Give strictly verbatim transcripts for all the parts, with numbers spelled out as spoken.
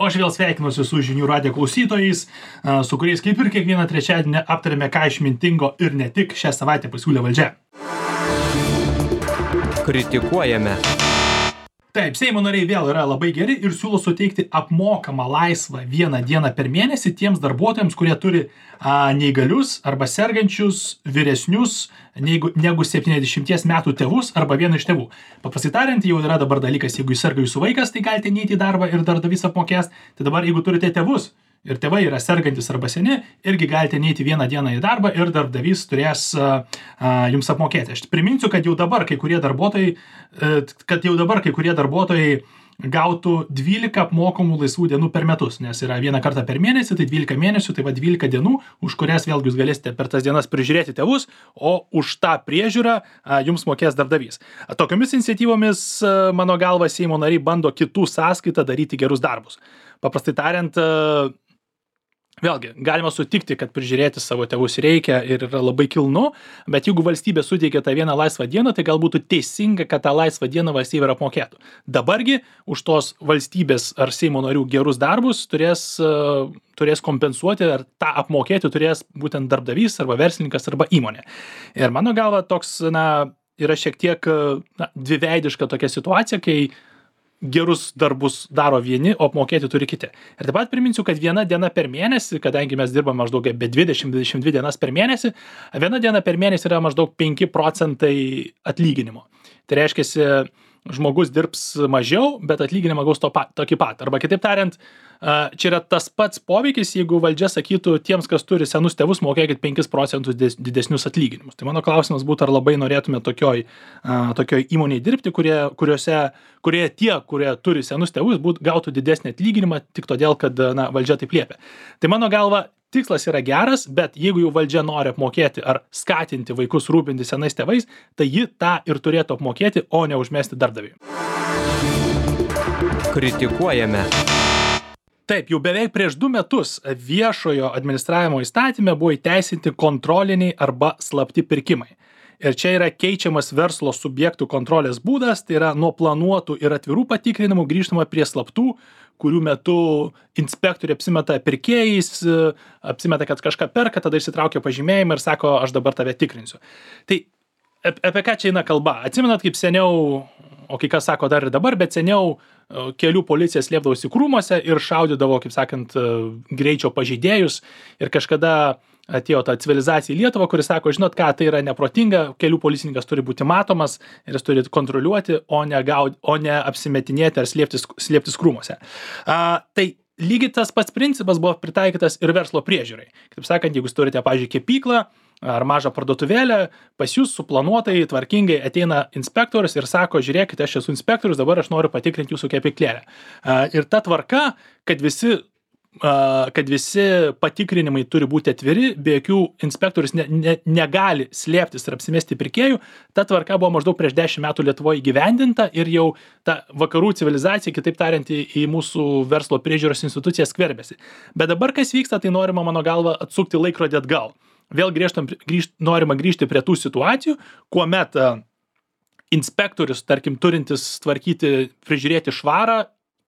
o aš vėl sveikinuosi su žinių radijo klausytojais, su kuriais kaip ir kiekvieną trečiadienį aptarėme, ką išmintingo ir ne tik šią savaitę pasiūlė valdžia. Kritikuojame. Taip, Seimo nariai vėl yra labai geri ir siūlo suteikti apmokamą laisvą vieną dieną per mėnesį tiems darbuotojams, kurie turi a, neįgalius arba sergančius, vyresnius negu, negu septyniasdešimties metų tėvus arba vieną iš tėvų. Paprastai tariant, jau yra dabar dalykas, jeigu jis serga jūsų vaikas, tai galite neiti į darbą ir darbdavys apmokės. Tai dabar, jeigu turite tėvus ir tėvai yra sergantis arba seni, irgi galite neiti vieną dieną į darbą ir darbdavys turės a, a, jums apmokėti. Aš priminsiu, kad jau dabar kai kurie darbuotojai, kad jau dabar kai kurie darbuotojai gautų dvylika apmokamų laisvų dienų per metus, nes yra vieną kartą per mėnesį, tai dvylika mėnesių, tai va dvylika dienų, už kurias vėlgi jūs galėsite per tas dienas prižiūrėti tėvus, o už tą priežiūrą a, jums mokės darbdavys. Tokiomis iniciatyvomis, a, mano galva, Seimo nariai bando kitų sąskaitą daryti gerus darbus. Paprastai tariant, a, vėlgi, galima sutikti, kad prižiūrėti savo tėvus reikia ir yra labai kilnu, bet jeigu valstybė suteikia tą vieną laisvą dieną, tai gal būtų teisinga, kad tą laisvą dieną valstybė ir apmokėtų. Dabargi už tos valstybės ar Seimo narių gerus darbus turės, uh, turės kompensuoti ar tą apmokėti turės būtent darbdavys arba verslininkas arba įmonė. Ir mano galva toks, na, yra šiek tiek na, dviveidiška tokia situacija, kai gerus darbus daro vieni, o apmokėti turi kiti. Ir taip pat priminsiu, kad viena diena per mėnesį, kadangi mes dirbame maždaug be dvidešimt dvidešimt dvi dienas per mėnesį, viena diena per mėnesį yra maždaug penki procentai atlyginimo. Tai reiškia, žmogus dirbs mažiau, bet atlyginimą gaus to pat, tokį pat. Arba kitaip tariant, čia yra tas pats poveikis, jeigu valdžia sakytų tiems, kas turi senus tėvus, mokėkit penkis procentus didesnius atlyginimus. Tai mano klausimas būtų, ar labai norėtume tokioj, tokioj įmonėje dirbti, kurie, kuriuose, kurie tie, kurie turi senus tėvus, būt, gautų didesnį atlyginimą tik todėl, kad na, valdžia taip liepia. Tai mano galva, tikslas yra geras, bet jeigu jau valdžia nori apmokėti ar skatinti vaikus rūpinti senais tėvais, tai ji tą ir turėtų apmokėti, o ne užmesti darbdaviui. Kritikuojame. Taip, jau beveik prieš du metus viešojo administravimo įstatyme buvo įteisinti kontroliniai arba slapti pirkimai. Ir čia yra keičiamas verslo subjektų kontrolės būdas, tai yra nuo planuotų ir atvirų patikrinimų grįžtama prie slaptų, kurių metu inspektoriai apsimeta pirkėjais, apsimeta, kad kažką perka, tada išsitraukia pažymėjimą ir sako, aš dabar tave tikrinsiu. Tai apie ką čia eina kalba? Atsimenat, kaip seniau, o kai kas sako dar ir dabar, bet seniau kelių policija slėpdavosi krūmuose ir šaudydavo, kaip sakant, greičio pažeidėjus. Ir kažkada atėjo ta civilizacija į Lietuvą, kuris sako, žinot ką, tai yra neprotinga, kelių policininkas turi būti matomas ir jis turi kontroliuoti, o ne, gaud, o ne apsimetinėti ar slėptis, slėptis krūmuose. A, tai lygiai tas pats principas buvo pritaikytas ir verslo priežiūrai. Kaip sakant, jeigu jūs turite, pavyzdžiui, kepyklą ar mažą parduotuvėlę, pas jūs suplanuotai, tvarkingai ateina inspektorius ir sako, žiūrėkite, aš esu inspektorius, dabar aš noriu patikrinti jūsų kepyklėlę. Ir ta tvarka, kad visi kad visi patikrinimai turi būti atviri, be jokių inspektorius ne, ne, negali slėptis ir apsimesti pirkėjų, ta tvarka buvo maždaug prieš dešimt metų Lietuvoje įgyvendinta ir jau ta vakarų civilizacija, kitaip tariant, į, į mūsų verslo priežiūros institucijas skverbėsi. Bet dabar kas vyksta, tai norima, mano galva, atsukti laikrodį atgal. Vėl grįžtam, grįžt, norima grįžti prie tų situacijų, kuomet uh, inspektorius, tarkim, turintis tvarkyti, prižiūrėti švarą,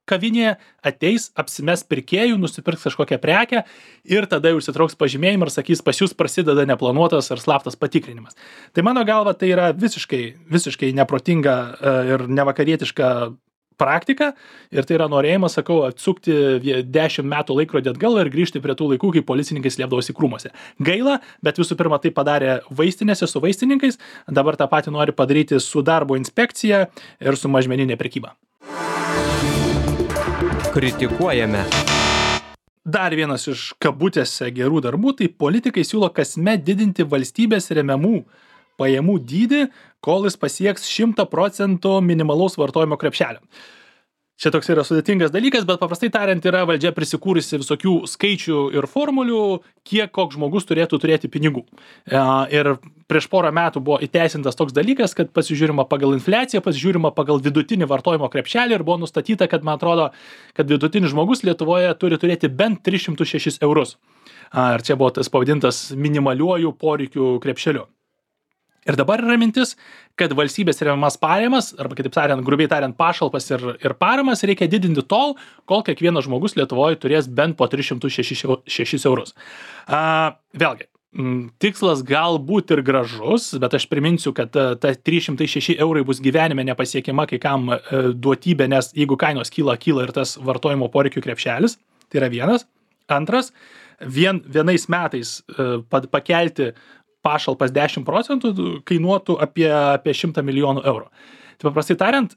kavinėje ateis, apsimes pirkėjų, nusipirks kažkokią prekę ir tada jau užsitrauks pažymėjimą ir sakys, pas jūs prasideda neplanuotas ar slaptas patikrinimas. Tai mano galva tai yra visiškai, visiškai neprotinga ir nevakarietiška praktika ir tai yra norėjimas, sakau, atsukti dešimt metų laikrodį atgal ir grįžti prie tų laikų, kai policininkai slėpdavosi krūmuose. Gaila, bet visų pirma tai padarė vaistinėse su vaistininkais, dabar tą patį nori padaryti su darbo inspekcija ir su mažmeninė prekyba. Kritikuojame. Dar vienas iš kabutėse gerų darbų, tai politikai siūlo kasmet didinti valstybės remiamų pajamų dydį, kol jis pasieks šimtą procentų minimalaus vartojimo krepšelio. Čia toks yra sudėtingas dalykas, bet paprastai tariant yra valdžia prisikūrusi visokių skaičių ir formulių, kiek koks žmogus turėtų turėti pinigų. Ir prieš porą metų buvo įteisintas toks dalykas, kad pasižiūrima pagal infliaciją, pasižiūrima pagal vidutinį vartojimo krepšelį ir buvo nustatyta, kad man atrodo, kad vidutinis žmogus Lietuvoje turi turėti bent tris šimtus šešis eurus. Ir čia buvo tas pavadintas minimaliuoju poreikių krepšeliu. Ir dabar yra mintis, kad valstybės remiamas pajamas, arba kitaip tariant, grubiai tariant, pašalpas ir, ir paramas reikia didinti tol, kol kiekvienas žmogus Lietuvoje turės bent po tris šimtus šešis eurus. A, vėlgi, m, tikslas galbūt ir gražus, bet aš priminsiu, kad ta, ta trys šimtai šeši eurai bus gyvenime nepasiekiama kai kam e, duotybė, nes jeigu kainos kyla, kyla ir tas vartojimo poreikių krepšelis, tai yra vienas. Antras, vien, vienais metais e, pakelti pašalpas dešimt procentų kainuotų apie, apie šimtą milijonų eurų. Tai paprastai tariant,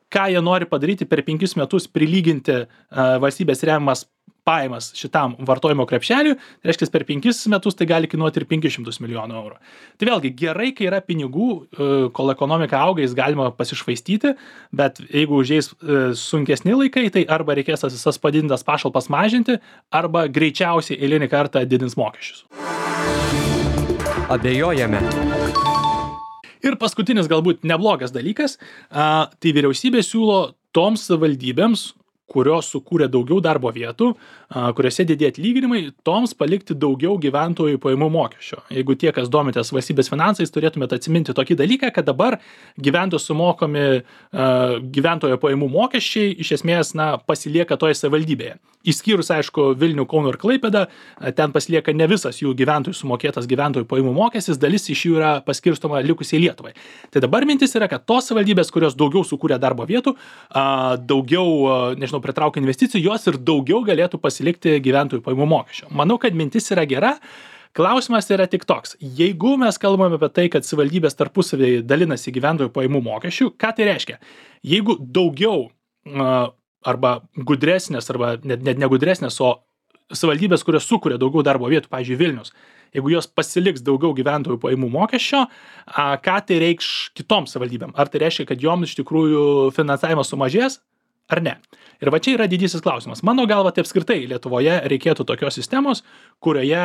ką jie nori padaryti per penkis metus prilyginti uh, valstybės remiamas pajamas šitam vartojimo krepšeliui, tai reiškia, per penkis metus tai gali kainuoti ir penkis šimtus milijonų eurų. Tai vėlgi, gerai, kai yra pinigų, uh, kol ekonomika auga, jis galima pasišvaistyti, bet jeigu užeis uh, sunkesni laikai, tai arba reikės tas visas padidintas pašalpas mažinti, arba greičiausiai eilinį kartą didins mokesčius. Abejojame. Ir paskutinis galbūt neblogas dalykas, a, tai vyriausybė siūlo toms savivaldybėms, kurios sukūrė daugiau darbo vietų, a, kuriuose didėja atlyginimai, toms palikti daugiau gyventojų pajamų mokesčio. Jeigu tie, kas domitės valstybės finansais, turėtumėte atsiminti tokį dalyką, kad dabar gyventojų sumokami a, gyventojo pajamų mokesčiai iš esmės na, pasilieka toje savivaldybėje. Išskyrus, aišku, Vilnių, Kauno ir Klaipėdą, ten pasilieka ne visas jų gyventojų sumokėtas gyventojų pajamų mokestis, dalis iš jų yra paskirstoma likusiai Lietuvai. Tai dabar mintis yra, kad tos savivaldybės, kurios daugiau sukūrė darbo vietų, daugiau, nežinau, pritraukia investicijų, jos ir daugiau galėtų pasilikti gyventojų pajamų mokesčio. Manau, kad mintis yra gera. Klausimas yra tik toks. Jeigu mes kalbame apie tai, kad savivaldybės tarpusavėje dalinasi gyventojų pajamų mokesčių, ką tai reiškia? Jeigu daugiau arba gudresnės, arba net, net negudresnės, o savivaldybės, kurios sukuria daugiau darbo vietų, pavyzdžiui, Vilnius, jeigu jos pasiliks daugiau gyventojų pajamų mokesčio, a, ką tai reikš kitoms savivaldybėm? Ar tai reiškia, kad joms iš tikrųjų finansavimas sumažės, ar ne? Ir va čia yra didysis klausimas. Mano galva, tai apskritai Lietuvoje reikėtų tokios sistemos, kurioje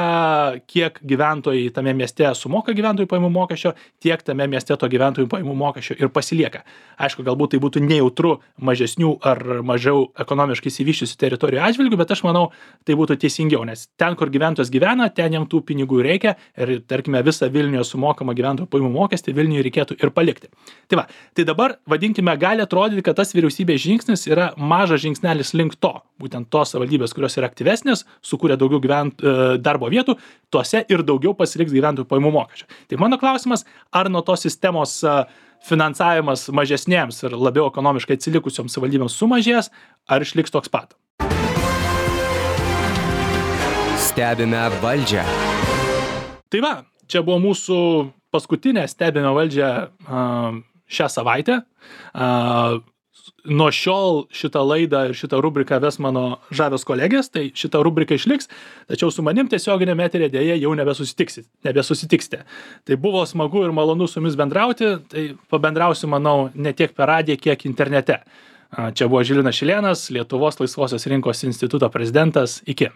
kiek gyventojai tame mieste sumoka gyventojų pajamų mokesčio, tiek tame mieste to gyventojų pajamų mokesčio ir pasilieka. Aišku, galbūt tai būtų nejautru mažesnių ar mažiau ekonomiškai išsivysčiusių teritorijų atžvilgių, bet aš manau, tai būtų teisingiau, nes ten, kur gyventojas gyvena, ten jam tų pinigų reikia ir, tarkime, visą Vilniuje sumokamą gyventojų pajamų mokestį Vilniuje reikėtų ir palikti. Tai va, tai dabar, vadinkime, gali atrodyti, kad tas vyriausybės žingsnis yra mažas žingsnelis link to, būtent tos savivaldybės, kurios yra aktyvesnės, sukūrė daugiau gyvent, darbo vietų, tuose ir daugiau pasiliks gyventojų pajamų mokesčio. Tai mano klausimas, ar nuo tos sistemos finansavimas mažesnėms ir labiau ekonomiškai atsilikusioms savivaldybėms sumažės, ar išliks toks pat? Stebime valdžią. Tai va, čia buvo mūsų paskutinė stebime valdžią šią savaitę. Nuo šiol šitą laidą ir šitą rubriką ves mano žavios kolegės, tai šitą rubriką išliks, tačiau su manim tiesioginėme eteryje dėja jau nebesusitiksite, nebesusitiksite. Tai buvo smagu ir malonu su jumis bendrauti, tai pabendrausiu, manau, ne tiek per radiją, kiek internete. Čia buvo Žilvinas Šilėnas, Lietuvos laisvosios rinkos instituto prezidentas. Iki.